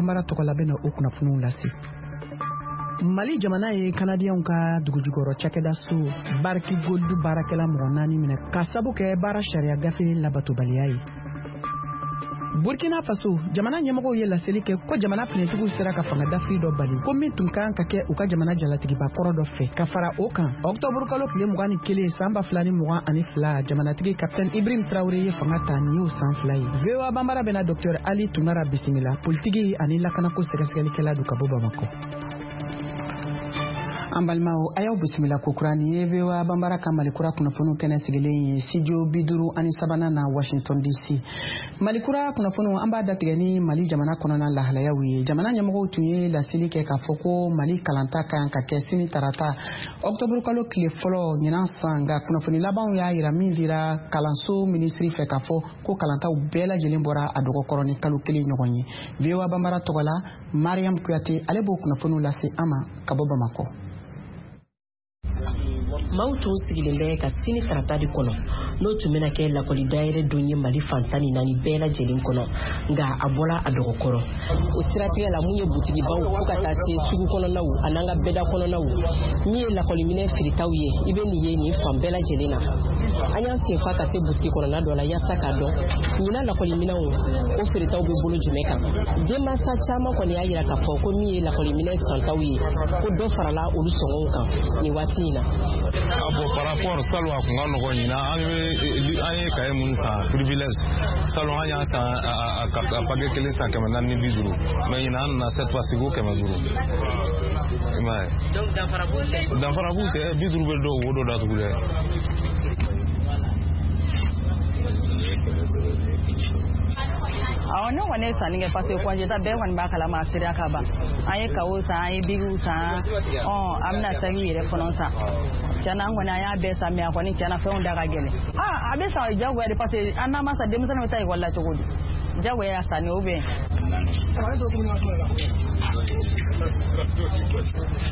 Banbara tɔgɔ la bɛna o kunnafoniw lase. Mali jamana ye Kanadiyɛnw ka dugujukɔrɔ cakɛda so Barrick Gold baarakɛla mɔgɔ 4 minɛ ka sabu kɛ baara sariya gafe labatobaliya ye. Burkina Faso jamana ɲɛmɔgɔw ye laseli kɛ ko jamana finitigiw sera ka fanga dafiri dɔ bali ko min tun kan ka kɛ u ka jamana jalatigiba kɔrɔ dɔ fɛ. Ka fara o kan, ɔktɔburu kalo tile 21 san 2022, jamanatigi Kapitɛni Ibrahim Traore ye fanga ta, nin y'o san 2 ye. VOA Banbara bɛna Dr Ali Tunkara bisimila, politiki ani lakanako sɛgɛsɛgɛlikɛla don ka bɔ Bamakɔ. An balimaw, a y'aw bisimila kokura. Nin ye VOA Banbara ka Malikura kunnafoniw kɛnɛ sigilen ye studio 53nan na Washington DC. Malikura kunnafoniw, an b'a datigɛ ni Mali jamana kɔnɔna lahalayaw ye. Jamana ɲɛmɔgɔw tun ye laseli kɛ k'a fɔ ko Mali kalanta ka kan ka kɛ sini tarata ɔktɔburu kalo tile fɔlɔ ɲinan san, nka kunnafoni labanw y'a yira min dira kalanso minisiri fɛ k'a fɔ ko kalantaw bɛɛ lajɛlen bɔra a dɔgɔkɔrɔ ni kalo 1 ɲɔgɔn ye. VOA Banbara tɔgɔ la, Mariam Kuyate ale b'o kunnafoniw lase an ma ka bɔ Bamakɔ. Maaw tun sigilen bɛ ka sini tarata de kɔnɔ, n'o tun bɛna kɛ lakɔli dayɛlɛ don ye Mali fan 14 bɛɛ lajɛlen kɔnɔ, nka a bɔra a dɔgɔkɔrɔ. O siratigɛ la, mun ye butigibaw fo ka taa se sugu kɔnɔnaw an'an ka bɛda kɔnɔnaw, min ye lakɔliminɛ feeretaw ye, i bɛ nin ye nin fan bɛɛ lajɛlen na. An y'an senfa ka se butigi kɔnɔna dɔ la yaasa k'a dɔn ɲinan lakɔliminɛw o feeretaw bɛ bolo jumɛn kan. Denmansa caman kɔni y'a yira k'a fɔ ko min ye lakɔliminɛ santaw ye, ko dɔ farala olu sɔngɔw kan nin waati in na. Ah bon, par rapport salon, a kun ka nɔgɔn. Ɲinan, an bɛ an ye kaye minnu san, privilège, salon an y'a san a paquet kelen san 450, mais ɲinan an nana cette fois ci ko 500, i m'a ye. Donc danfara b'u cɛ. Danfara b'u cɛ, 50 bɛ dɔw wo dɔ datugu dɛ. Awɔ, ne kɔni ye sanni kɛ parce que congé ta bɛɛ kɔni b'a kalama, a sera ka ban. An ye kawo san, an ye bigiw san, ɔ an bɛna sakiw yɛrɛ fana san. Tiɲɛna, an kɔni an y'a bɛɛ san, mais a kɔni tiɲɛna fɛnw da ka gɛlɛn. A bɛ san jagoya de, parce que an n'an ma san, denmisɛnninw bɛ taa ekɔli la cogo di? Jagoya y'a sanni ou bien.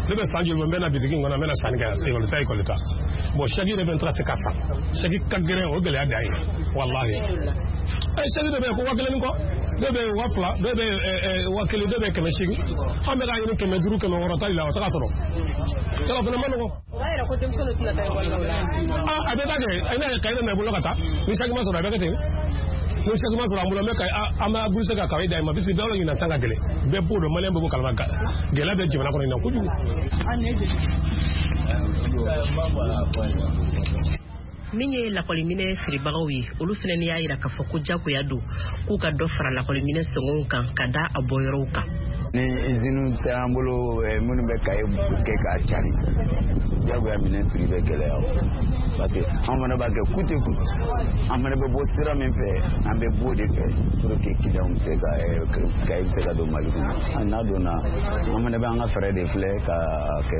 Ne bɛ san joli bɔ, n bɛ na bitigi in kɔnɔ, n bɛ na sanni kɛ, ekɔli ta ekɔli ta. Bon, saki yɛrɛ bɛ n taara se ka san. Saki ka gɛlɛn, o gɛlɛya dan ye. Walahi. Saki dɔ bɛ yen ko 1000 ni kɔ, dɔw bɛ yen 2000, dɔw bɛ yen 1000, dɔw bɛ yen 800. An bɛ k'a ɲini 500, 600 tali la, o tɛ ka sɔrɔ. Yɔrɔ fana ma nɔgɔn. O b'a yira ko denmisɛnninw tɛna taa ekɔli la. A bɛ taa kɛ, i n'a ye kaye nana i bolo ka taa, ni saki ma sɔrɔ a bɛ kɛ ten. Ni saki ma sɔrɔ an bolo, an bɛ ka an b'a buru se ka kaye d'a ma, parce que bɛɛ b'a dɔn ɲinan san ka gɛlɛn. Bɛɛ b'o dɔn, maliyɛn bɛɛ b'o kalama, gɛlɛya bɛ jamana kɔnɔ ɲinan kojugu. Min ye lakɔliminɛ feerebagaw ye, olu fana y'a yira k'a fɔ ko jagoya don k'u ka dɔ fara lakɔliminɛ sɔngɔw kan ka da a bɔyɔrɔw kan. Ni iziniw tɛ an bolo minnu bɛ kaye kɛ k'a cari, jagoya minɛn prix bɛ gɛlɛya o, parce que an fana b'a kɛ coûte que coûte, an fana bɛ bɔ sira min fɛ, an bɛ b'o de fɛ pour que client bɛ se ka kaye bɛ se ka don Mali kɔnɔ. N'a donna, an fana bɛ an ka fɛɛrɛ de filɛ ka kɛ.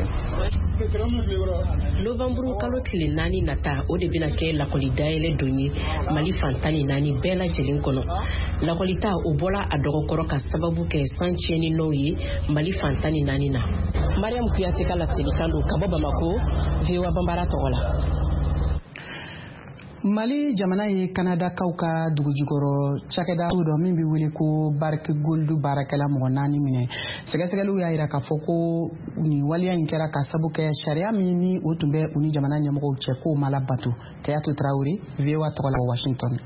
Novembre kalo tile 4 nata, o de bɛna kɛ lakɔli dayɛlɛ don ye Mali fan 14 bɛɛ lajɛlen kɔnɔ. Lakɔlita o bɔra a dɔgɔkɔrɔ ka sababu kɛ san tiɲɛni nɔw ye Mali fan 14 na. Mariam Kuyate ka laselikan don ka bɔ Bamako, VOA Banbara tɔgɔ la. Mali jamana ye Kanadakaw ka dugujukɔrɔ cakɛda dɔ min bɛ wele ko Barrick Gold baarakɛla mɔgɔ 4 minɛ. Sɛgɛsɛgɛliw y'a yira k'a fɔ ko nin waleya in kɛra ka sabu kɛ sariya min ni o tun bɛ u ni jamana ɲɛmɔgɔw cɛ k'o ma labato. Kayatu Traore, VOA tɔgɔ la, Washington.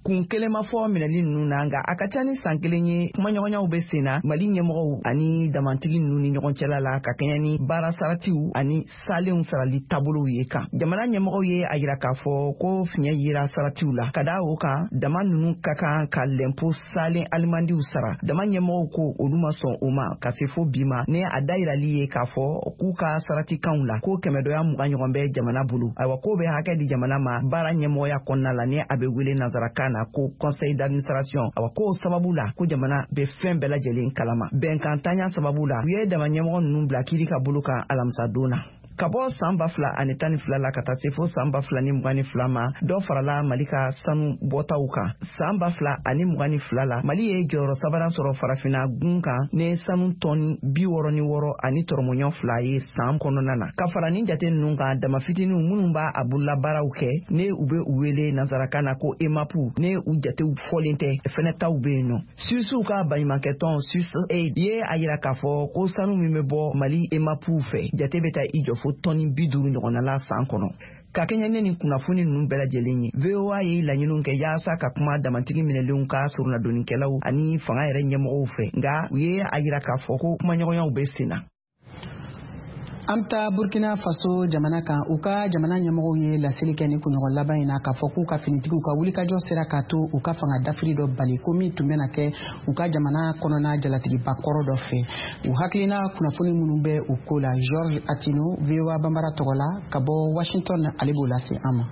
Kun kelen ma fɔ minɛli ninnu na, nka a ka ca ni san 1 ye kumaɲɔgɔnyaw bɛ sen na Mali ɲɛmɔgɔw ani damantigi ninnu ni ɲɔgɔn cɛla la ka kɛɲɛ ni baara saratiw ani salenw sarali taabolow ye kan. Jamana ɲɛmɔgɔw ye a yira k'a fɔ ko fiɲɛ yera saratiw la. Ka da o kan, dama ninnu ka kan ka lɛnpo salen alimandiw sara. Dama ɲɛmɔgɔw ko olu ma sɔn o ma ka se fo bi ma, ni a dayirali ye k'a fɔ k'u ka saratikanw la ko 120 ɲɔgɔn bɛ jamana bolo. Ayiwa, k'o bɛ hakɛ di jamana ma baara ɲɛmɔgɔya kɔnɔna la, ni a bɛ wele nansarakan na ko conseil d'administration. Awa, k'o sababu la ko jamana bɛ fɛn bɛɛ lajɛlen kalama. Bɛnkan tanya sababu la, u ye dama ɲɛmɔgɔ ninnu bila kiiri ka bolo kan alamisa don na. Ka bɔ san 2012 la ka taa se fo san 2022 ma, dɔ farala Mali ka sanu bɔtaw kan. San 2022 la, Mali ye jɔyɔrɔ sabanan sɔrɔ farafinna gun kan ni sanu tɔni 66.2 ye san kɔnɔna na. Ka fara nin jate ninnu kan, dama fitininw minnu b'a a bololabaaraw kɛ, ne u bɛ u wele nansarakan na ko EMAP, ne u jatew fɔlen tɛ, fɛnɛ taw bɛ yen nɔ. Suisuw ka baɲumankɛtɔn Swiss Aid ye a yira k'a fɔ ko sanu min bɛ bɔ Mali EMAPw fɛ, jate bɛ taa i jɔ fo tɔni 50 ɲɔgɔnna la san kɔnɔ. Ka kɛɲɛ ne nin kunnafoni ninnu bɛɛ lajɛlen ye, VOA ye laɲiniw kɛ yaasa ka kuma damantigi minɛlenw ka soronadonnikɛlaw ani fanga yɛrɛ ɲɛmɔgɔw fɛ, nka u ye a yira k'a fɔ ko kumaɲɔgɔnyaw bɛ sen na. An bɛ taa Burkina Faso jamana kan. U ka jamana ɲɛmɔgɔw ye laseli kɛ ni kunɲɔgɔn laban in na k'a fɔ k'u ka finitigiw ka wulikajɔ sera k'a to u ka fanga dafiri dɔ bali, ko min tun bɛna kɛ u ka jamana kɔnɔna jalatigiba kɔrɔ dɔ fɛ. U hakilina kunnafoni minnu bɛ u ko la, George Atino, VOA Banbara tɔgɔ la ka bɔ Washington, ale b'o lase an ma.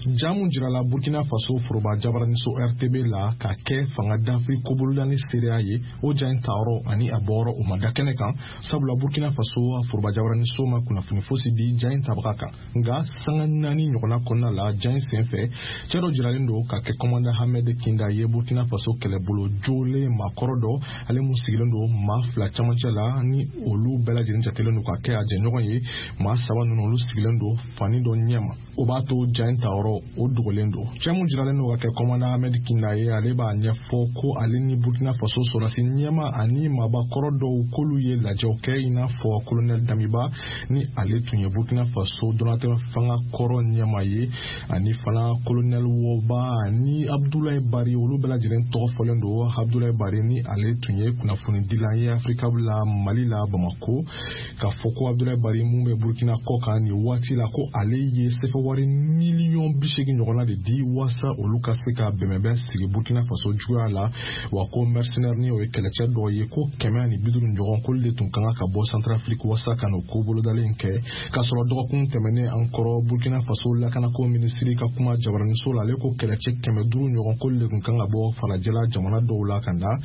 Ja mun jirala Burkina Faso foroba jabaraniso RTB la ka kɛ fanga dafiri kobololani seereya ye, o ja in tayɔrɔ ani a bɔyɔrɔ, o ma da kɛnɛ kan, sabula Burkina Faso foroba jabaraniso ma kunnafoni fosi di ja in tabaga kan. Nka sanga 4 ɲɔgɔnna kɔnɔna la, ja in sen fɛ, cɛɛ dɔ jiralen don ka kɛ kɔmanda Hamed Kinda ye, Burkina Faso kɛlɛbolo jolen maakɔrɔ dɔ, ale mun sigilen don maa fila camancɛ la, ni olu bɛɛ lajɛlen jatelen don ka kɛ a jɛɲɔgɔn ye. Maa saba ninnu, olu sigilen don fani dɔ ɲɛma, o b'a to ja in tayɔrɔ, o dogolen don. Cɛ mun jiralen don ka kɛ kɔmanda Ahmed Kinda ye, ale b'a ɲɛfɔ ko ale ni Burkina Faso sɔrɔdasi ɲɛma ani maabakɔrɔ dɔw, k'olu ye lajɛw kɛ, i n'a fɔ kolonɛli Damiba, ni ale tun ye Burkina Faso donatɛmɛ fanga kɔrɔ ɲɛma ye, ani fana kolonɛli Wɔba ani Abdulayi Bari, olu bɛɛ lajɛlen tɔgɔ fɔlen don. Abdulayi Bari, ni ale tun ye kunnafonidilan ye Afirika la Mali la Bamako, k'a fɔ ko Abdulayi Bari mun bɛ Burkina kɔ kan nin waati la, ko ale ye sɛfɛwari miliyɔn 80 ɲɔgɔnna de di waasa olu ka se ka bɛnbɛnbɛn sigi Burkina Faso juguya la. Wa ko mercenaire, ni o ye kɛlɛcɛ dɔw ye, ko 150 ɲɔgɔn, k'olu de tun ka kan ka bɔ Centrafrique waasa ka n'o ko bolodalen kɛ. K'a sɔrɔ dɔgɔkun tɛmɛnen an kɔrɔ, Burkina Faso lakanako minisiri ka kuma jabaraniso la, ale ko kɛlɛcɛ 500 ɲɔgɔn, k'olu de tun kan ka bɔ farajɛla jamana dɔw la ka na.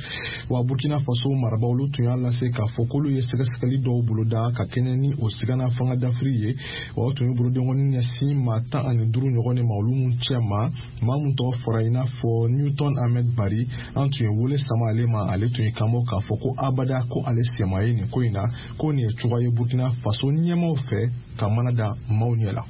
Wa Burkina Faso marabaw, olu tun y'a lase k'a fɔ k'olu ye sɛgɛsɛgɛli dɔw boloda ka kɛɲɛ ni o sigana fanga dafiri ye. Wa o tun ye bolodenkɔni ɲɛsin maa 15 ɲɔgɔn de ma, olu mun cɛ ma maa mun tɔgɔ fɔra i n'a fɔ Newton Ahmed Bari. An tun ye wele sama ale ma, ale tun ye kanbɔ k'a fɔ ko abada, ko ale sema ye nin ko in na, ko nin ye cogoya ye Burkina Faso ɲɛmaw fɛ ka mana da maaw ɲɛ la.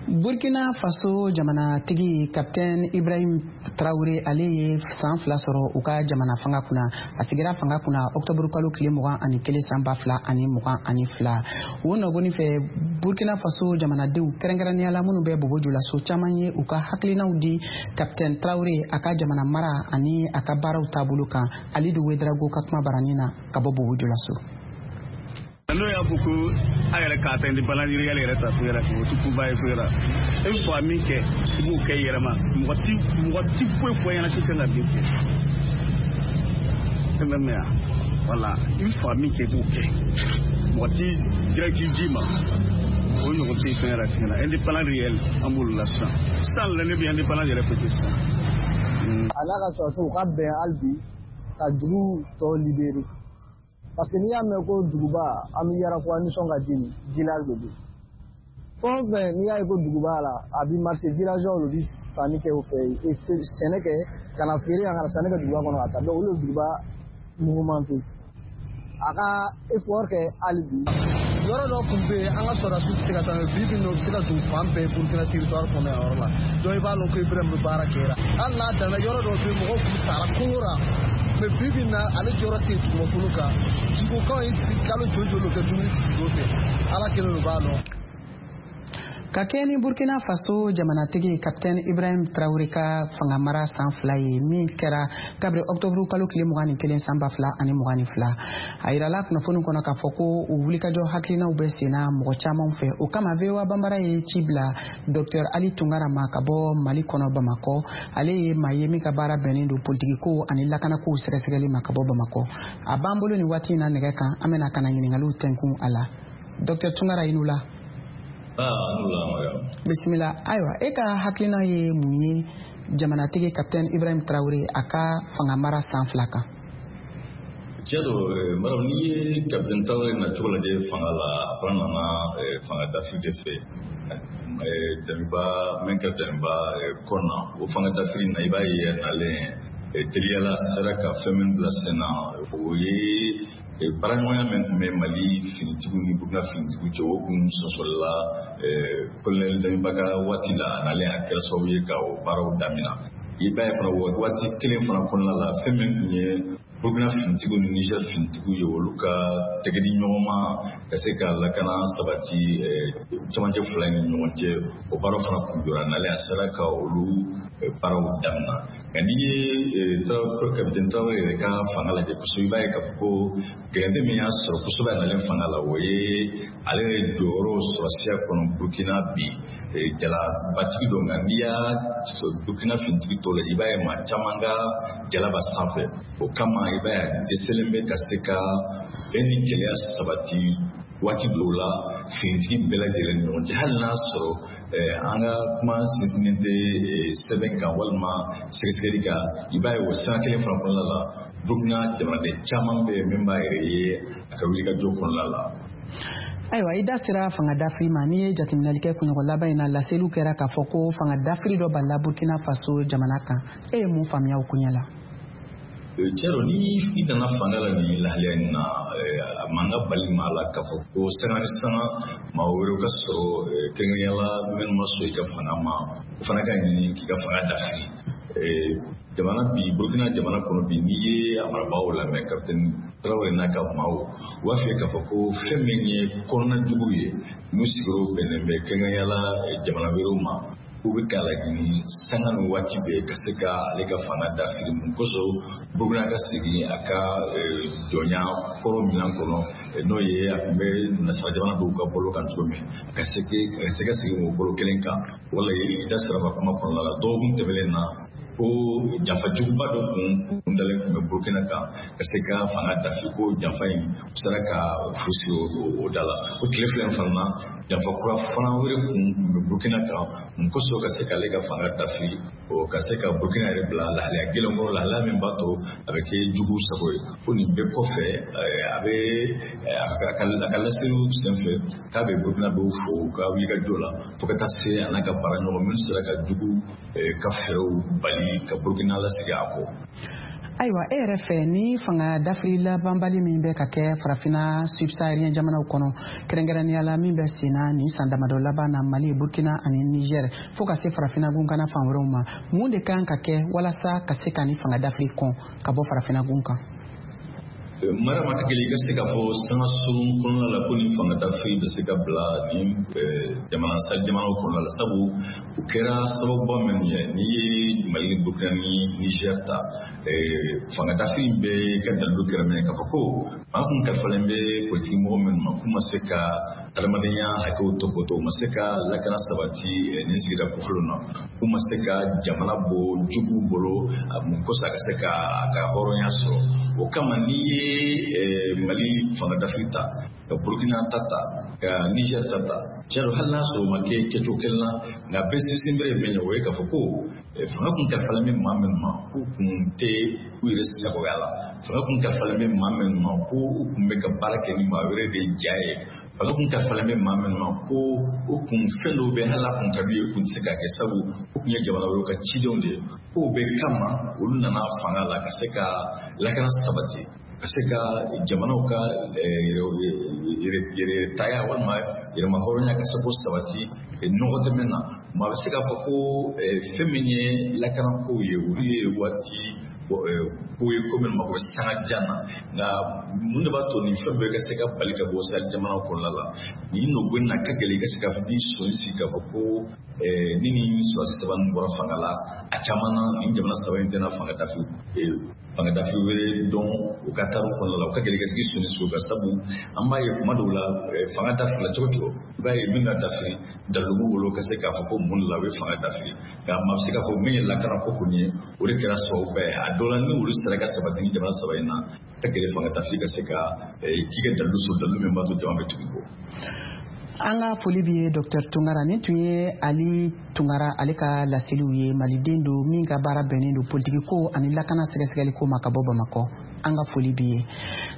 Burkina Faso jamanatigi Capitaine Ibrahim Traoré, ale ye san 2 sɔrɔ u ka jamana fanga kunna. A sigira fanga kunna octobre kalo tile 21 san 2022. O nɔgɔni fɛ, Burkina Faso jamanadenw, kɛrɛnkɛrɛnnenya la minnu bɛ Bobo Julaso, caman ye u ka hakilinaw di Capitaine Traoré a ka jamana mara ani a ka baaraw taabolo kan. Alidu Wedrago ka kuma baranin na ka bɔ Bobo Julaso. N'o y'a fɔ ko a yɛrɛ k'a ta indépendance yɛrɛ ta so yɛrɛ, o tɛ koba ye so yɛrɛ. E bɛ fɛ ka min kɛ, i b'o kɛ i yɛrɛ ma. Mɔgɔ ti foyi fɔ ɲɛna k'i kan ka min kɛ. E bɛ mɛn yan, wala i bɛ fɛ ka min kɛ, i b'o kɛ. Mɔgɔ ti directive d'i ma, o ɲɔgɔn tɛ fɛn yɛrɛ fɛn na. Indépendance réel, an b'olu la sisan. Sisan la, ne bɛ indépendance yɛrɛ fɛ sisan. A n'a ka sɔrɔdasiw ka bɛn hali bi ka dugu tɔ libérer, parce que n'i y'a mɛn ko duguba, an bɛ Yarakuwa nisɔn ka di nin village de don. Fɛn o fɛn n'i y'a ye ko duguba la, a bɛ marché, villageois de bɛ sanni kɛ o fɛ yen, sɛnɛ kɛ ka na feere yan, ka na sanni kɛ duguba kɔnɔ ka taa. Donc olu ye duguba mouvementé. A ka effort kɛ hali bi. Yɔrɔ dɔ tun bɛ yen, an ka sɔrɔdasiw tɛ se ka taa, bi bi in na, u bɛ se ka don fan bɛɛ Burukina territoire kɔnɔ yan yɔrɔ la. Donc i b'a lɔn ko Ibrahim bɛ baara kɛ la. Hali n'a danna yɔrɔ dɔw bɛ yen, mɔgɔw tun sara kungo la, mais bi bi in na, ale jɔyɔrɔ tɛ yen dugumakolo kan. Jiko kan ye kalo joli joli kɛ dumuni tɛ fɛ, Ala kelen de b'a dɔn. Ka kɛ ni Burkina Faso jamanatigi Capitaine Ibrahim Traoré ka fanga mara san 2 ye, min kɛra kabiri octobre kalo tile 21 san 2022, a yirala kunnafoni kɔnɔ k'a fɔ ko u wulikajɔ hakilinaw bɛ senna mɔgɔ caman fɛ. O kama, VOA Banbara ye ci bila Dr Ali Tunkara ma ka bɔ Mali kɔnɔ, Bamakɔ. Ale ye maa ye min ka baara bɛnnen don politikiko ani lakanakow sɛgɛsɛgɛli ma ka bɔ Bamakɔ. A b'an bolo nin waati in na nɛgɛ kan. An bɛna ka na ɲiningaliw tɛnkun a la. Dr Tunkara, i ni wula. Bisimila. Ayiwa, e ka hakilina ye mun ye jamanatigi Capitaine Ibrahim Traoré a ka fanga mara san 2 kan? Tiɲɛ don Mariam, n'i ye Capitaine Traoré nacogo lajɛ fanga la, a fana nana fanga dafiri de fɛ. Damiba min kɛra Damiba kɔnɔ, o fanga dafiri na, i b'a ye nalen teliyala sera ka fɛn min bila sen na, o ye baaraɲɔgɔnya min tun bɛ Mali finitigiw ni Burukina finitigiw cɛ, o kun sɔsɔlila colonel Damiba ka waati la. A nalen, a kɛra sababu ye ka o baaraw damina. I b'a ye fana, waati kelen fana kɔnɔna la, fɛn min tun ye Burukina finitigiw ni Niger finitigiw ye, olu ka tɛgɛ di ɲɔgɔn ma ka se ka lakana sabati cɛmancɛ fila ni ɲɔgɔn cɛ, o baaraw fana kun jɔra. Nalen, a sera ka olu baaraw damina. Nka n'i ye Capitaine Traoré yɛrɛ ka fanga lajɛ kosɛbɛ, i b'a ye k'a fɔ ko gɛlɛnde min y'a sɔrɔ kosɛbɛ a nalen fanga la, o ye ale yɛrɛ jɔyɔrɔ sɔrɔsiya kɔnɔ Burukina bi jalabatigi don. Nka n'i y'a Burukina finitigi tɔw lajɛ, i b'a ye maa caman ka jala b'a sanfɛ. O kama, i b'a ye a dɛsɛlen bɛ ka se ka bɛn ni gɛlɛya sabati waati dɔw la finitigi bɛɛ lajɛlen ni ɲɔgɔn cɛ. Hali n'a sɔrɔ an ka kuma sinsinnen tɛ sɛbɛn kan walima sɛgɛsɛgɛli kan, i b'a ye o sira kelen fana kɔnɔna la, Burukina jamanaden caman bɛ yen min b'a yɛrɛ ye a ka wulikajɔ kɔnɔna la. Ayiwa, i da sera fanga dafiri ma. N'i ye jateminɛli kɛ kunɲɔgɔn laban in na, laseliw kɛra k'a fɔ ko fanga dafiri dɔ balila Burkina Faso jamana kan. E ye mun faamuya o koɲɛ la? Tiɲɛ don, ni i nana fanga la nin lahalaya in na, a man ka bali maa la k'a fɔ ko sanga ni sanga maa wɛrɛw ka sɔrɔ, kɛrɛnkɛrɛnnenya la minnu ma sɔn i ka fanga ma, o fana ka ɲini k'i ka fanga dafiri. Jamana bi, Burukina jamana kɔnɔ bi, n'i ye a marabagaw lamɛn, Capitaine Traoré n'a ka maaw, u b'a f'i ye k'a fɔ ko fɛn min ye kɔnɔna jugu ye, n'u sigiyɔrɔ bɛnnen bɛ kɛrɛnkɛrɛnnenya la jamana wɛrɛw ma, k'u bɛ k'a laɲini sanga ni waati bɛɛ ka se ka ale ka fanga dafiri. Mun kosɔn? Burukina ka segin a ka jɔnya kɔrɔ minɛn kɔnɔ, n'o ye a tun bɛ nasara jamana dɔw ka bolo kan cogo min, ka se ka segin o bolo kelen kan. Wala i da sera ma kuma kɔnɔna la, dɔgɔkun tɛmɛnen na, ko janfa juguba dɔ kun dalen tun bɛ Burukina kan ka se ka fanga dafi, ko janfa in u sera ka fu siri o da la. O tile fila in fana na, janfa kura fana wɛrɛ kun bɛ Burukina kan. Mun kosɔn? Ka se k'ale ka fanga dafi, o ka se ka Burukina yɛrɛ bila lahalaya gɛlɛn kɔrɔ, lahalaya min b'a to a bɛ kɛ jugu sago ye. Ko nin bɛɛ kɔfɛ, a bɛ a ka laseliw senfɛ k'a bɛ Burukina dɔw fo u ka wulikajɔ la, fo ka taa se a n'a ka baara ɲɔgɔn minnu sera ka jugu ka fɛɛrɛw bali ka Burukina lasigi a kɔ. Ayiwa, e yɛrɛ fɛ, ni fanga dafiri labanbali min bɛ ka kɛ Farafina subsaharien jamanaw kɔnɔ, kɛrɛnkɛrɛnnenya la min bɛ senna nin san damadɔ laban na Mali, Burkina ani Niger, fo ka se Farafina gunkana fan wɛrɛw ma, mun de kan ka kɛ walasa ka se ka ni fanga dafiri kɔn ka bɔ Farafina gun kan? Mariam, a ka gɛlɛn i ka se k'a fɔ sanga surun kɔnɔna la ko nin fanga dafiri bɛ se ka bila nin jamana Sahel jamanaw kɔnɔna la, sabu u kɛra sababuba minnu ye, n'i ye Mali ni Burkina ni Niger ta, fanga dafiri bɛɛ ka dalilu kɛra min ye, k'a fɔ ko maa kun kalifalen bɛ politiki mɔgɔ minnu ma, k'u ma se ka adamadenya hakɛw tɔpɔtɔ, u ma se ka lakana sabati nin sigida kofɔlenw na, k'u ma se ka jamana bɔ juguw bolo, mun kosɔn a ka se ka a ka hɔrɔnya sɔrɔ. O kama, n'i ye Mali fanga dafiri ta, ka Burkina ta ta, ka Niger ta ta, tiɲɛ don, hali n'a sɔrɔ o ma kɛ kɛcogo kelen na, nka bɛɛ sinsin bere ye min ye, o ye k'a fɔ ko fanga kun kalifalen bɛ maa minnu ma, k'u kun tɛ u yɛrɛ sagoya la, fanga kun kalifalen bɛ maa minnu ma, ko u kun bɛ ka baara kɛ ni maa wɛrɛ de ja ye, fanga kun kalifalen bɛ maa minnu ma, ko u kun fɛn dɔw bɛ, hali n'a kun ka d'u ye, u kun tɛ se k'a kɛ, sabu u kun ye jamana wɛrɛw ka cidenw de ye. K'o bɛɛ kama, olu nana fanga la ka se ka lakana sabati, ka se ka jamanaw ka yɛrɛtaya walima yɛrɛma hɔrɔnya ka se k'o sabati nɔgɔ tɛ min na. Maa bɛ se k'a fɔ ko fɛn min ye lakanakow ye, olu ye waati ko ye, ko min mako bɛ sanga jan na. Nka mun de b'a to nin fɛn bɛɛ ka se ka bali ka bɔ Sahel jamanaw kɔnɔna la nin nɔgɔ in na? Ka gɛlɛn i ka se k'a fɔ k'i sɔn sigi k'a fɔ ko ni nin sɔrɔdasi saba ninnu bɔra fanga la, a caman na nin jamana saba in tɛna fanga dafiri wɛrɛ dɔn u ka taariku kɔnɔna la. U ka gɛlɛn i ka se k'i sɔnni sigi o kan, sabu an b'a ye kuma dɔw la, fanga dafirila cogo cogo, i b'a ye min ka dafiri, dalilu b'u bolo ka se k'a fɔ ko mun de la u bɛ fanga dafiri. Nka maa bɛ se k'a fɔ min ye lakana ko kɔni ye, o de kɛra sababuba ye. A dɔw la, ni olu sera ka sabati ni jamana saba in na, ka gɛlɛn fanga dafiri ka se ka k'i ka dalilu sɔrɔ, dalilu min b'a to jama bɛ tugu kɔ. An ka foli b'i ye, Dr Tungara. Nin tun ye Ali Tungara ale ka laseliw ye. Maliden don min ka baara bɛnnen don politiki ko ani lakana sɛgɛsɛgɛli ko ma, ka bɔ Bamakɔ. An ka foli b'i ye.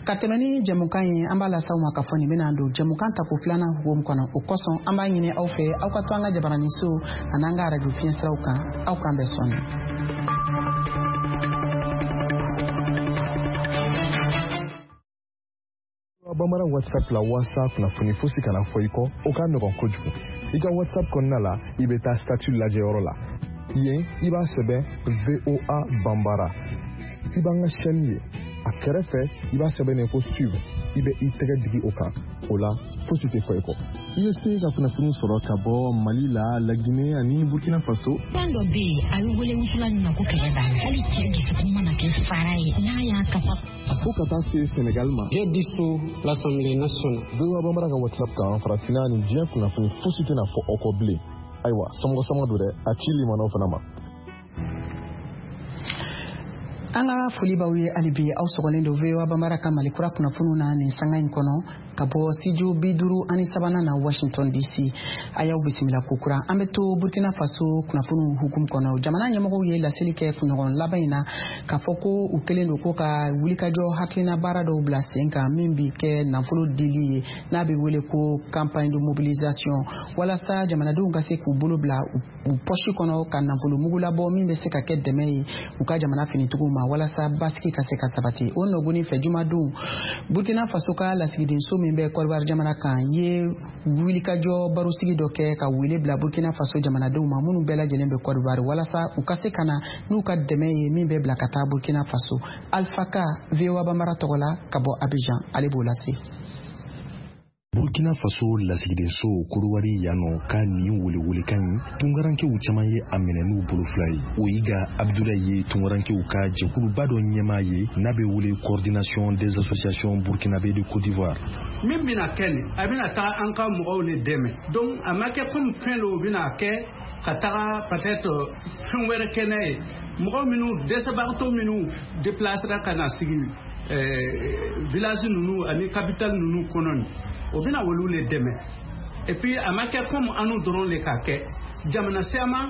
Ka tɛmɛ ni jɛmukan ye, an b'a lase aw ma k'a fɔ nin bɛna don jɛmukan tako filanan hukumu kɔnɔ. O kosɔn an b'a ɲini aw fɛ, aw ka to an ka jabaraniso an'an ka arajo fiɲɛsiraw kan. Aw k'an bɛn sɔɔni. Bamanan WhatsApp la, walasa kunnafoni fosi kana fɔ i kɔ, o ka nɔgɔn kojugu. I ka WhatsApp kɔnɔna la, i bɛ taa statut lajɛyɔrɔ la. Yen, i b'a sɛbɛn VOA Banbara, i b'an ka chaîne ye. A kɛrɛfɛ, i b'a sɛbɛn ko suivre. I bɛ i tɛgɛ digi o kan. O la, fosi tɛ fɔ i kɔ. I bɛ se ka kunnafoni sɔrɔ ka bɔ Mali la, Laginɛ ani Burkina Faso. Fɛn dɔ bɛ yen, a bɛ wele wusulan min ma ko kɛlɛ b'a la. Hali cɛ dusukun mana kɛ fara ye, n'a y'a kasa fo ka taa se Senegal ma. J'ai dissous l'Assemblée nationale. VOA Bambara ka WhatsApp kan, farafinna ni diɲɛ kunnafoni fosi tɛna fɔ aw kɔ bilen. Ayiwa, somɔgɔ sama don dɛ, a ci limanaw fana ma. An ka foli b'aw ye hali bi. Aw sɔgɔlen don VOA Bambara ka Mali kura kunnafoniw na nin sanga in kɔnɔ, ka bɔ studio 53nan na, Washington DC. A y'aw bisimila kokura. An bɛ to Burkina Faso kunnafoniw hukumu kɔnɔ. Jamana ɲɛmɔgɔw ye laseli kɛ kunɲɔgɔn laban in na k'a fɔ ko u kɛlen don ko ka wulikajɔ hakilina baara dɔw bila sen kan, min bi kɛ nafolo dili ye, n'a bɛ wele ko campagne de mobilisation, walasa jamanadenw ka se k'u bolo bila u pɔsi kɔnɔ ka nafolo mugu labɔ, min bɛ se ka kɛ dɛmɛ ye u ka jamana finitigiw ma, walasa basigi ka se ka sabati. O nɔgɔni fɛ, jumadon, Burkina Faso ka lasigidenso min bɛ Kɔdiwari jamana kan ye wulikajɔ barosigi dɔ kɛ ka wele bila Burkina Faso jamanadenw ma minnu bɛɛ lajɛlen bɛ Kɔdiwari, walasa u ka se ka na n'u ka dɛmɛ ye min bɛ bila ka taa Burkina Faso. Alpha Ka, VOA Bambara tɔgɔ la ka bɔ Abidjan, ale b'o lase. Burkina Faso lasigidenso Kodowari yan nɔ ka nin welewelekan in, tunkarankew caman ye a minɛ n'u bolo fila ye. Oyiga Abdulayi ye tunkarankew ka jɛkuluba dɔ ɲɛmaa ye, n'a bɛ wele Coordination des associations burkinabé de Côte d'Ivoire. Min bɛna kɛ nin, a bɛna taa an ka mɔgɔw le dɛmɛ. Donc a ma kɛ komi fɛn dɔw bɛna kɛ ka taga peut-être fɛn wɛrɛ kɛ n'a ye. Mɔgɔ minnu dɛsɛbagatɔ minnu déplacera ka na sigi village ninnu ani capitale ninnu kɔnɔ nin, o bɛna olu le dɛmɛ. Et puis a ma kɛ komi anu dɔrɔn le k'a kɛ. Jamana caman,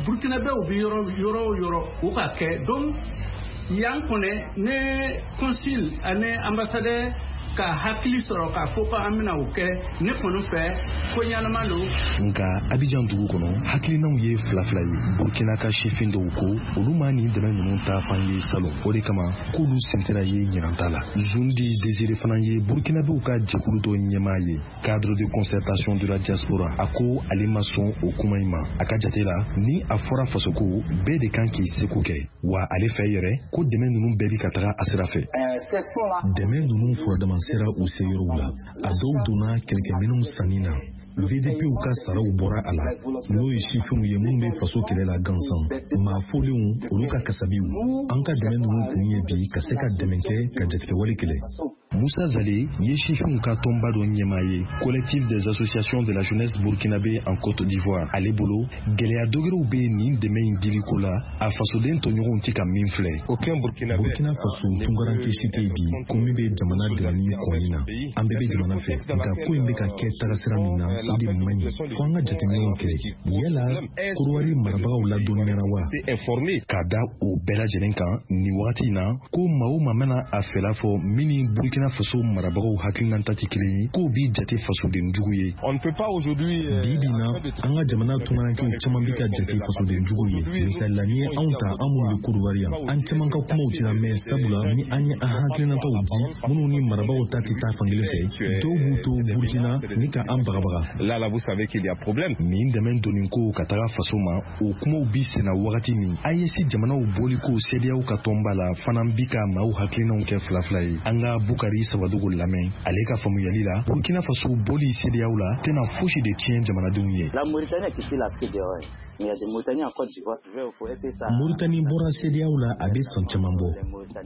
burkinabɛw bɛ yɔrɔ yɔrɔ o yɔrɔ, o ka kɛ. Donc yan kɔnɛ, ne consul ani ambassadeur ka hakili sɔrɔ k'a fɔ ko an bɛna o kɛ, ne kɔni fɛ, ko ɲɛnama don. Nka Abijan dugu kɔnɔ, hakilinaw ye fila fila ye. Burkina ka sifin dɔw ko olu ma nin dɛmɛ ninnu ta fan ye salon, o de kama k'olu sen tɛna ye ɲinan ta la. Zundi Desire fana ye burkinabew ka jɛkulu dɔ ɲɛmaa ye, cadre de concertation de la diaspora. A ko ale ma sɔn o kuma in ma. A ka jate la, ni a fɔra fasoko, bɛɛ de kan k'i seko kɛ. Wa ale fɛ yɛrɛ ko dɛmɛ ninnu bɛɛ bi ka taga a sira fɛ. Dɛmɛ ninnu furadama sera u se yɔrɔw la. A dɔw donna kɛlɛkɛminɛnw sanni na. VDPw ka saraw bɔra a la, n'o ye sifinw ye minnu bɛ faso kɛlɛ la gansan, maa folenw, olu ka kasabiw. An ka dɛmɛ ninnu kun ye bi ka se ka dɛmɛ kɛ ka jatigɛwale kɛlɛ. Moussa Zale ye sifinw ka tɔnba dɔ ɲɛmaa ye, Collectif des associations de la jeunesse burkinabé en Côte d'Ivoire. Ale bolo, gɛlɛya dɔgɛrɛw bɛ nin dɛmɛ in diliko la, a fasoden tɔɲɔgɔnw tɛ ka min filɛ. Burkina Faso tunkaranke si tɛ bi ko min bɛ jamana dɛmɛni kɔni na. An bɛɛ bɛ jamana fɛ, nka ko in bɛ ka kɛ tagasira min na, o de man ɲi. Fo an ka jateminɛw kɛ. Yala Korowari marabagaw ladɔnniyara wa? Ka da o bɛɛ lajɛlen kan nin wagati in na, ko maa o maa mana a fɛla fɔ min ni Burkina Faso marabagaw hakilinata tɛ kelen ye, k'o b'i jate fasoden jugu ye. Bi bi na, an ka jamana tunkarankew caman bɛ ka jate fasoden jugu ye. Misali la, n'i ye anw ta, an minnu bɛ Kodowari yan, an caman ka kumaw tɛna mɛn, sabula ni an ye an hakilinataw di minnu ni marabagaw ta tɛ taa fankelen fɛ, dɔw b'u to Burkina ni ka an bagabaga. Là, là, vous savez qu'il y a problème. Nin dɛmɛ donni ko ka taga faso ma, o kumaw bi senna wagati min, AES jamanaw bɔli ko CEDEAO ka tɔnba la fana bi ka maaw hakilinaw kɛ fila fila ye. An ka Bukari Sawadogo lamɛn. Ale ka faamuyali la, Burkina Faso bɔli CEDEAO la tɛna fosi de tiɲɛ jamanadenw ye. La Mauritanie a quitté la CEDEAO. Mais il y a des Mauritaniens en Côte d'Ivoire. Mauritanie bɔra CEDEAO la, a bɛ san caman bɔ.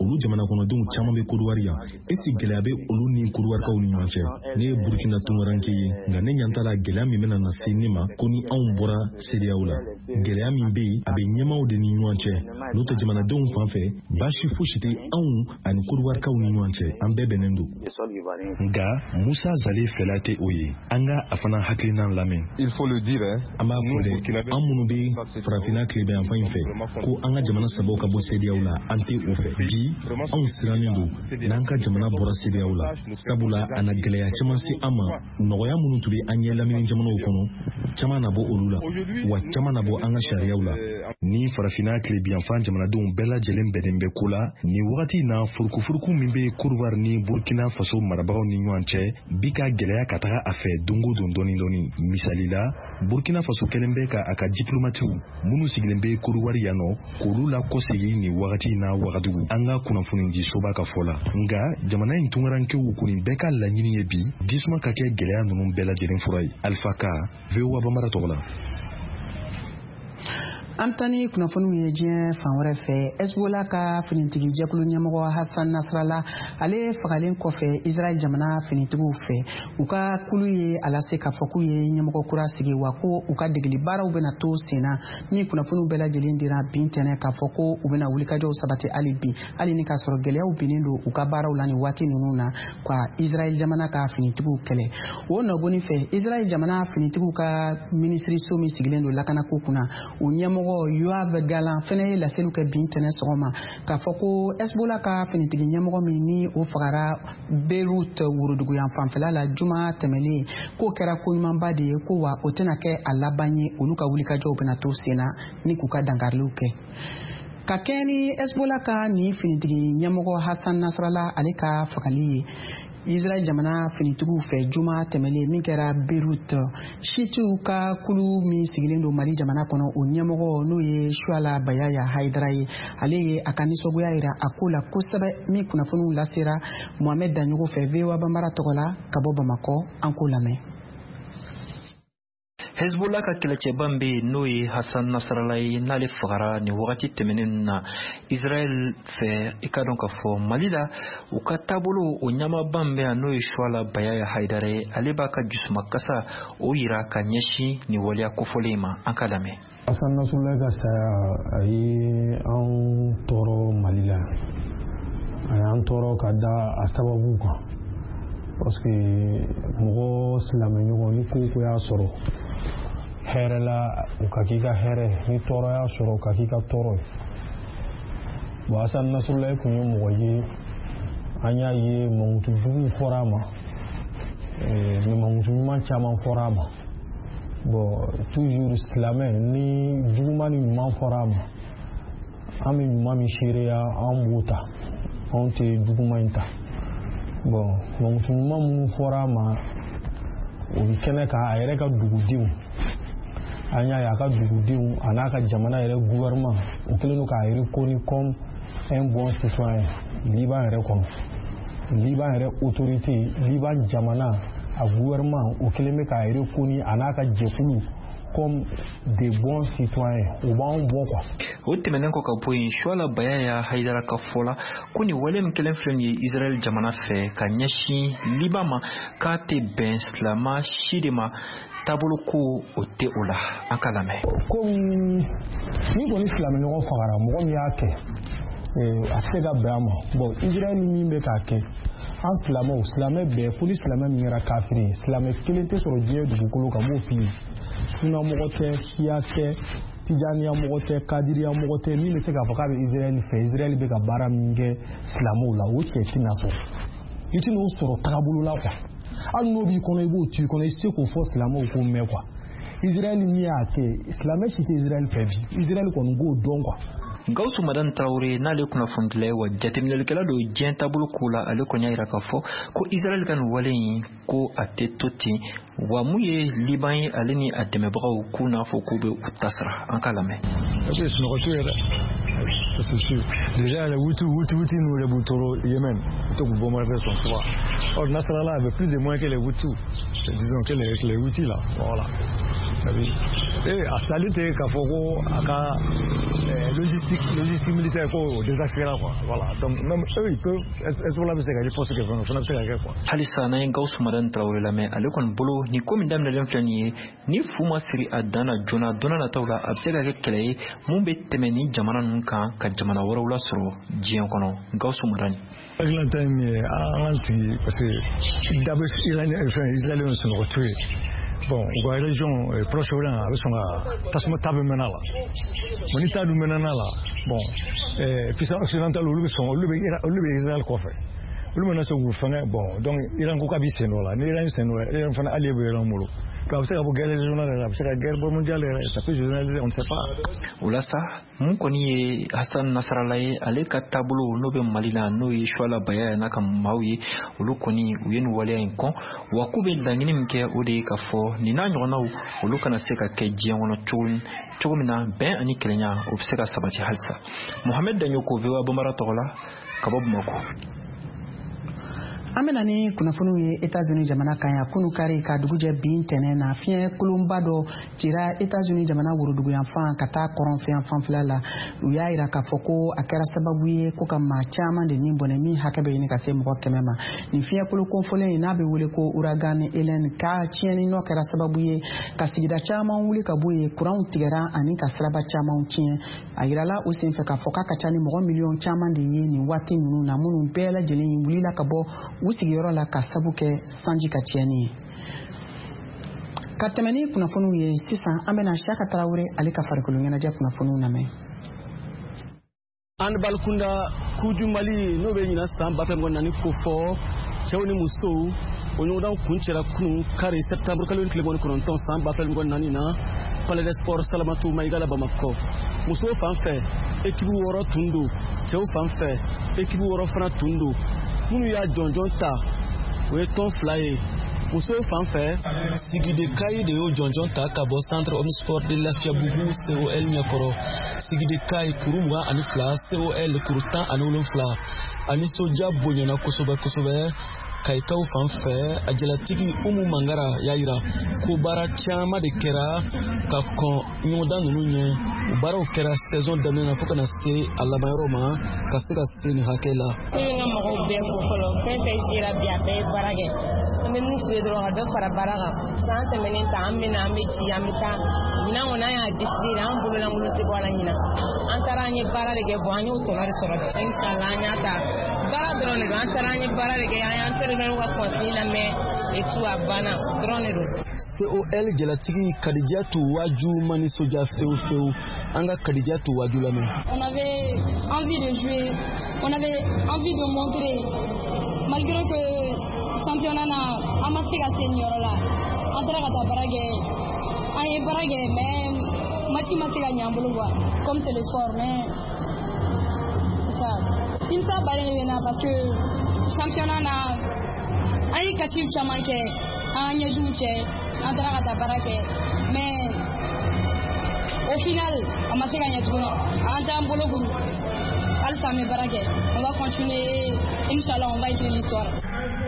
Olu jamana kɔnɔdenw caman bɛ Kodowari yan. Esi gɛlɛya bɛ olu ni Kodowarikaw ni ɲɔgɔn cɛ? Ne ye Burkina tunkaranke ye, nka ne ɲɛ t'a la gɛlɛya min bɛna na se ne ma ko ni anw bɔra CEDEAO la. Gɛlɛya min bɛ yen, a bɛ ɲɛmaaw de ni ɲɔgɔn cɛ. N'o tɛ, jamanadenw fan fɛ, baasi fosi tɛ anw ani Kodowarikaw ni ɲɔgɔn cɛ. An bɛɛ bɛnnen don. Nka Musa Zale fɛla tɛ o ye. An ka a fana hakilina lamɛn. Il faut le dire, hein. An b'a fɔ dɛ, an minnu minnu bɛ farafinna tilebinyanfan in fɛ ko an ka jamana sabaw ka bɔ CEDEAO la, an tɛ o fɛ. Bi, anw sirannen don n'an ka jamana bɔra CEDEAO la, sabula a na gɛlɛya caman se an ma. Nɔgɔya minnu tun bɛ an ɲɛ lamini jamanaw kɔnɔ, caman na bɔ olu la, wa caman na bɔ an ka sariyaw la. Ni farafinna tilebinyanfan jamanadenw bɛɛ lajɛlen bɛnnen bɛ ko la nin wagati in na, furukufuruku min bɛ Côte ni Burkina Faso marabagaw ni ɲɔgɔn cɛ bi ka gɛlɛya ka taga a fɛ don o don dɔɔni dɔɔni. Misali la, Burkina Faso kɛlen bɛ ka a ka diplomatiw minnu sigilen bɛ Côte d'Ivoire yan nɔ, k'olu lakɔsegin nin wagati in na Wagadugu, an ka kunnafonidisoba ka fɔ la. Nka jamana in tunkarankew kɔni bɛɛ ka laɲini ye bi jisuma ka kɛ gɛlɛya ninnu bɛɛ lajɛlen fura ye. Alpha Ka, VOA Bambara tɔgɔ la. An bɛ taa ni kunnafoniw ye diɲɛ fan wɛrɛ fɛ. Hezbollah ka finitigi jɛkulu ɲɛmɔgɔ Hassan Nasrallah, ale fagalen kɔfɛ Israël jamana finitigiw fɛ, u ka kulu ye a lase k'a fɔ k'u ye ɲɛmɔgɔ kura sigi, wa ko u ka degeli baaraw bɛna to sen na. Ni kunnafoniw bɛɛ lajɛlen dira bi ntɛnɛn k'a fɔ ko u bɛna wulikajɔw sabati hali bi, hali ni k'a sɔrɔ gɛlɛyaw binnen don u ka baaraw la nin waati ninnu na ka Israël jamana ka finitigiw kɛlɛ. O nɔgɔni fɛ, Israël jamana finitigiw ka minisiriso min sigilen don lakanako kunna, o ɲɛmɔgɔ Yoav Gallant fɛnɛ ye laseliw kɛ bi ntɛnɛn sɔgɔma k'a fɔ ko Hezbollah ka finitigi ɲɛmɔgɔ min ni o fagara Beirut woroduguyan fanfɛla la juma tɛmɛnen, k'o kɛra koɲumanba de ye, ko wa o tɛna kɛ a laban ye, olu ka wulikajɔw bɛna to sen na ni k'u ka dankariliw kɛ. Ka kɛɲɛ ni Hezbollah ka nin finitigi ɲɛmɔgɔ Hassan Nasrallah ale ka fagali ye Israël jamana finitigiw fɛ juma tɛmɛnen min kɛra Beirut, Shiitiw ka kulu min sigilen don Mali jamana kɔnɔ, o ɲɛmɔgɔ n'o ye Suala Bayaya Haidara ye, ale ye a ka nisɔngoya yira a ko la kosɛbɛ. Min kunnafoniw lasera Mohamed Daɲogo fɛ VOA Bambara tɔgɔ la ka bɔ Bamakɔ, an k'o lamɛn. Hezbollah ka kɛlɛcɛba min bɛ yen, n'o ye Hassan Nasrallah ye, n'ale fagara nin wagati tɛmɛnen na Israël fɛ, i ka dɔn k'a fɔ Mali la, u ka taabolo o ɲɛmaaba min bɛ yan, n'o ye Suala Bayaya Haidara ye, ale b'a ka jusumakasa o yira ka ɲɛsin nin waleya kofɔlen in ma. An ka lamɛn. Hassan Nasrallah ka saya, a ye anw tɔɔrɔ Mali la, a y'an tɔɔrɔ ka da a sababu kan, parce que mɔgɔ silamɛ ɲɔgɔn ni ko ko y'a sɔrɔ hɛrɛ la, o ka k'i ka hɛrɛ, ni tɔɔrɔ y'a sɔrɔ, o ka k'i ka tɔɔrɔ ye. Bon, Hassan Nasrallah tun ye mɔgɔ ye, an y'a ye mankutu juguw fɔra a ma, mais mankutu ɲuman caman fɔra a ma. Bon, toujours silamɛ, ni juguman ni ɲuman fɔra a ma, an bɛ ɲuman min seereya, an b'o ta, anw tɛ juguman in ta. Bon, mankutu ɲuman minnu fɔra a ma, o bɛ kɛnɛ kan. A yɛrɛ ka dugudenw, an y'a ye a ka dugudenw a n'a ka jamana yɛrɛ gouvernement, o kɛlen don k'a reconnu comme un bon citoyen Liban yɛrɛ kɔnɔ. Liban yɛrɛ autorité, Liban jamana a gouvernement, o kɛlen bɛ k'a reconnu a n'a ka jɛkulu comme des bons citoyens. O b'anw bɔ quoi. O tɛmɛnen kɔ ka bɔ yen, Suala Bayaya Haidara ka fɔ la ko nin wale min kɛlen filɛ nin ye Israɛl jamana fɛ ka ɲɛsin Liban ma, k'a tɛ bɛn silama si de ma, taabolo ko o tɛ o la. An ka lamɛn. Komi ni kɔni silamɛ ɲɔgɔn fagara, mɔgɔ min y'a kɛ, a tɛ se ka bɛn a ma. Bon, Israël min bɛ k'a kɛ, an silamɛw, silamɛ bɛɛ, fo ni silamɛ min kɛra kafiri ye, silamɛ kelen tɛ sɔrɔ diɲɛ dugukolo kan, m'o f'i ye, sunamɔgɔ tɛ, siya tɛ, tijaniya mɔgɔ tɛ, kadiriya mɔgɔ tɛ, min bɛ se k'a fɔ k'a bɛ Israël fɛ. Israël bɛ ka baara min kɛ silamɛw la, o cɛ tɛna sɔrɔ, i tɛn'o sɔrɔ tagabolo la quoi. Hali n'o b'i kɔnɔ, i b'o to i kɔnɔ, i tɛ se k'o fɔ silamɛw k'o mɛn quoi. Israël min y'a kɛ, silamɛ si tɛ Israël fɛ bi, Israël kɔni k'o dɔn quoi. Gawusu Madani Tarawele, n'ale kunnafonidila ye wa jateminɛlikɛla don diɲɛ taabolo ko la, ale kɔni y'a yira k'a fɔ ko Israɛl ka nin wale in, ko a tɛ to ten, wa mun ye Liban ye, ale ni a dɛmɛbagaw, k'u n'a fɔ k'u bɛ u ta sara. An k'a lamɛn. Sunɔgɔ t'u ye dɛ, ça c'est sûr. Déjà les Houthis, Houthis, Houthis nous les Boutoro Yémen, tout bombarder son soir. Or Nasrallah avait plus de moyens que les Houthis, disons que les Houthis là, voilà. Et a sali tɛ k'a fɔ ko a ka logistique militaire ko désaxera quoi, voilà. Donc même eux, ils peuvent, Hezbollah bɛ se ka riposte kɛ fɛnɛ, o fana bɛ se ka kɛ quoi. Halisa n'an ye Gawusu Madani Tarawele lamɛn, ale kɔni bolo nin ko min daminɛlen filɛ nin ye, ni fu ma siri a dan na joona, don nataw la a bɛ se ka kɛ kɛlɛ ye mun bɛ tɛmɛ ni jamana ninnu kan ka jamana wɛrɛw lasɔrɔ diɲɛ kɔnɔ. Gawusu Madani. Hakilina ye min ye, an k'an sigi, parce que da bɛ fɛn Israël sunɔgɔ t'u ye. Bon, u ka région Proche-Orient a bɛ sɔn ka tasuma ta bɛ mɛnɛ a la. Bon, ni ta dun mɛnna a la, bon, puissance occidentale olu bɛ sɔn, olu bɛ Israël kɔfɛ, olu mana se k'u fɛngɛ. Bon, donc Iran ko k'a b'i sen dɔ la. Ni Iran sen dɔ la, Iran fana allié bɛ Iran bolo. Donc a bɛ se ka bɔ guerre régionale yɛrɛ, a bɛ se ka guerre mondiale yɛrɛ, ça peut se généraliser, on ne sait pas. O la sa, mun kɔni ye Hassan Nasrallah ye, ale ka taabolo n'o bɛ Mali la, n'o ye Suala Baya n'a ka maaw ye, olu kɔni u ye nin waleya in kɔn, wa k'u bɛ laɲini min kɛ, o de ye k'a fɔ nin n'a ɲɔgɔnnaw olu kana se ka kɛ diɲɛ kɔnɔ cogo min na bɛn ani kelenya o bɛ se ka sabati halisa. Mohamed Daɲoko, VOA Bambara tɔgɔ la ka bɔ Bamakɔ. An bɛna ni kunnafoniw ye Etats-Unis jamana kan yan. Kunu kari ka dugujɛ bi ntɛnɛn na, fiɲɛ kolonba dɔ cira Etats-Unis jamana woroduguyanfan ka taa kɔrɔnfɛyanfan fila la. U y'a yira k'a fɔ ko a kɛra sababu ye ko ka maa caman de ni bɔnɛ, min hakɛ bɛ ɲini ka se mɔgɔ 100 ma. Nin fiɲɛ kolo kofɔlen in n'a bɛ wele ko ouragan Helene ka tiɲɛni nɔ kɛra sababu ye ka sigida caman wuli ka bɔ yen, kuranw tigɛra ani ka siraba camanw tiɲɛ. A yirala o senfɛ k'a fɔ k'a ka ca ni mɔgɔ miliyɔn caman de ye nin waati ninnu na, minnu bɛɛ lajɛlen wulila ka bɔ u sigiyɔrɔ la ka sabu kɛ sanji ka tiɲɛni ye. Ka tɛmɛ ni kunnafoniw ye sisan, an bɛna Siyaka Tarawele ale ka farikolo ɲɛnajɛ kunnafoniw lamɛn. Handball kunda, Coupe du Mali n'o bɛ ɲinan san 2024 kofɔ, cɛw ni musow, o ɲɔgɔndan kuncɛra kunun kari septembre kalo tile 29 san 2024 na, Palais des Sports Salamatu Mayiga la Bamakɔ. Musow fan fɛ, équipe 6 tun don. Cɛw fan fɛ, équipe 6 fana tun don. Minnu y'a jɔnjɔn ta, o ye tɔn 2 ye. Musow fan fɛ, Sigide Kayi de y'o jɔnjɔn ta ka bɔ Centre Omnisport de Lafiyabugu COL ɲɛkɔrɔ. Sigide Kayi kuru 22, COL kuru 17. A nisɔndiya bonyana kosɛbɛ kosɛbɛ. Kayikaw fan fɛ, a jalatigi Umu Mangara y'a yira ko baara caman de kɛra ka kɔn ɲɔgɔndan ninnu ɲɛ. O baaraw kɛra saison daminɛ na fo ka na se a labanyɔrɔ ma, ka se ka se nin hakɛ la. Ne bɛ n ka mɔgɔw bɛɛ fo fɔlɔ. Fɛn fɛn sera bi, a bɛɛ ye baara kɛ. An bɛ min f'u ye dɔrɔn, ka dɔ fara baara kan. San tɛmɛnen ta, an bɛ na, an bɛ ci, an bɛ taa. Ɲinan kɔni, an y'a décidé, an bololankolon tɛ bɔ a la ɲinan. An taara, an ye baara de kɛ. Bon, an y'o tɔnɔ de sɔrɔ bi. Inshallah, an y'a ta. Baara dɔrɔn de don. An taara, an ye baara de kɛ, an y'an entraîneur ka consigne lamɛn et tout, a banna dɔrɔn de don. COL jalatigi Kadijatu Waju ma nisɔndiya fewu fewu. An ka Kadijatu Waju lamɛn. On avait envie de jouer, on avait envie de montrer, malgré que championnat na an ma se ka se nin yɔrɔ la. An taara ka taa baara kɛ, an ye baara kɛ, mais match ma se ka ɲɛ an bolo quoi, comme c'est le sport, mais c'est ça. Nimisa baden de bɛ na parce que championnat na, an ye kasiw caman kɛ, an ɲɛjuw cɛ, an taara ka taa baara kɛ, mais au final a ma se ka ɲɛ tuguni. An t'an bolo kuru, halisa an bɛ baara kɛ, on va continuer, inchallah on va écrire l'histoire.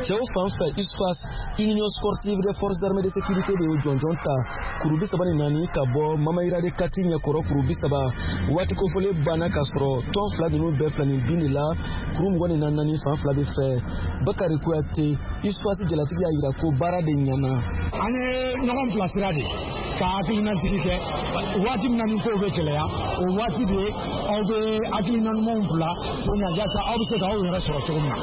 Cɛw fan fɛ, USFAS, Union Sportive des Forces Armées de Sécurité de y'o jɔnjɔn ta, kuru 34 ka bɔ Mamayira de Kati ɲɛkɔrɔ kuru 30. Waati kofɔlen banna k'a sɔrɔ tɔn fila ninnu bɛɛ filani bin de la, kuru 24 fan fila bɛ fɛ. Bakari Kuyate, USFAS jalatigi, y'a yira ko baara de ɲɛna. An ye ɲɔgɔn bilasira de ka hakilinajigi kɛ. Waati min na ni kow bɛ gɛlɛya, o waati de aw bɛ hakilina ɲumanw bila sen kan, yaasa aw bɛ se k'aw yɛrɛ sɔrɔ cogo min na.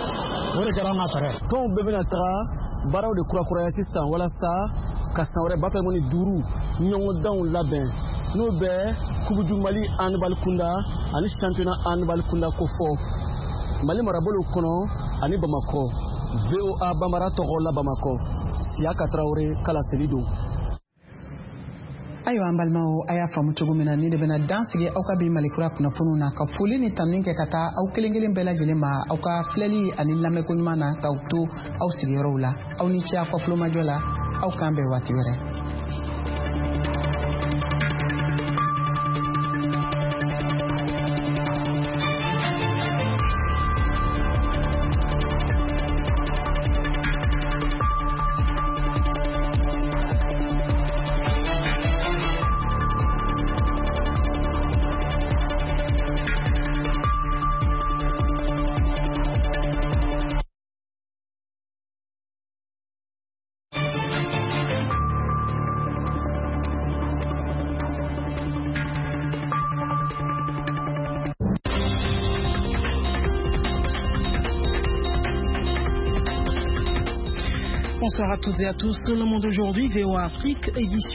O de kɛra an ka fɛɛrɛ. Tɔnw bɛɛ bɛna taga baaraw de kurakuraya sisan walasa ka san wɛrɛ 2025 ɲɔgɔndanw labɛn, n'o bɛ Coupe du Mali handball kunda ani championnat handball kunda kofɔ Mali marabolow kɔnɔ ani Bamakɔ. VOA Bambara tɔgɔ la Bamakɔ, Siyaka Tarawele ka laseli don. Ayiwa, an balimaw, a y'a faamu cogo min na, ni de bɛna dan sigi aw ka bi Malikura kunnafoniw na, ka foli ni tanuni kɛ ka taa aw kelen kelen bɛɛ lajɛlen ma aw ka filɛli ani lamɛnko ɲuman na, k'aw to aw sigiyɔrɔw la. Aw ni ce aw ka tulomajɔ la. Aw k'an bɛn waati wɛrɛ. Bonsoir à toutes et à tous. Le Monde aujourd'hui, VOA Afrique, édition.